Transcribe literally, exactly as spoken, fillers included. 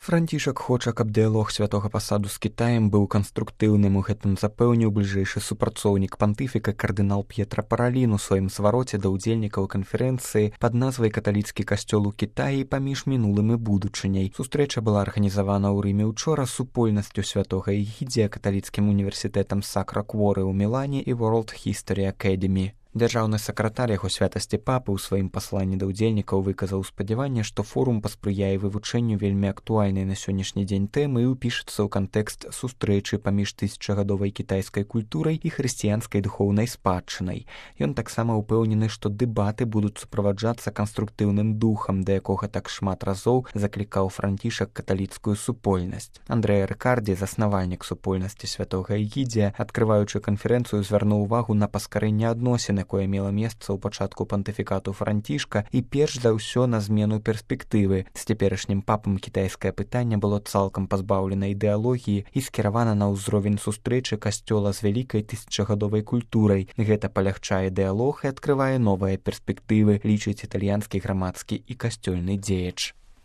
Францішак хоча, каб дыялог святога пасаду з Кітаем быў канструктыўным, у гэтым запэўніў бліжэйшы супрацоўнік пантыфіка кардынал П'етра Паралін у сваім звароце да ўдзельнікаў канферэнцыі пад назвай «Каталіцкі касцёл у Кітаі паміж мінулым і будучыняй». Сустрэча была арганізавана ў Рыме учора супольнасцю святога Ігідзія, каталіцкім універсітэтам Сакра Кворы ў Мілане і World History Academy. Дзяржаўны сакратар яго святасці папы ў сваім пасланні да ўдзельнікаў выказаў спадзяванне, што форум паспрыяе вывучэнню вельмі актуальнай на сённяшні дзень тэмы і ўпішацца ў кантэкст сустрэчы паміж тысячагадовай кітайскай культурай і хрысціянскай духоўнай спадчынай. Ён таксама ўпэўнены, што дэбаты будуць суправаджацца канструктыўным духам, да якога так шмат разоў заклікаў Францішак каталіцкую супольнасць. Андрэа Рыкардзі, заснавальнік супольнасці святога Ігідзія, адкрываючы канферэнцыю, звярнуў увагу на паскарэнне адносін, якое мела месца ў пачатку пантыфікату Францішка і перш за ўсё на змену перспектывы. З цяперашнім папам кітайскае пытанне было цалкам пазбаўлена ідэалогіі і скіравана на ўзровень сустрэчы касцёла з вялікай тысячагадовай культурай. Гэта палягчае дыялог і адкрывае новыя перспектывы, лічыць італьянскі грамадскі і касцёльны дзеяч.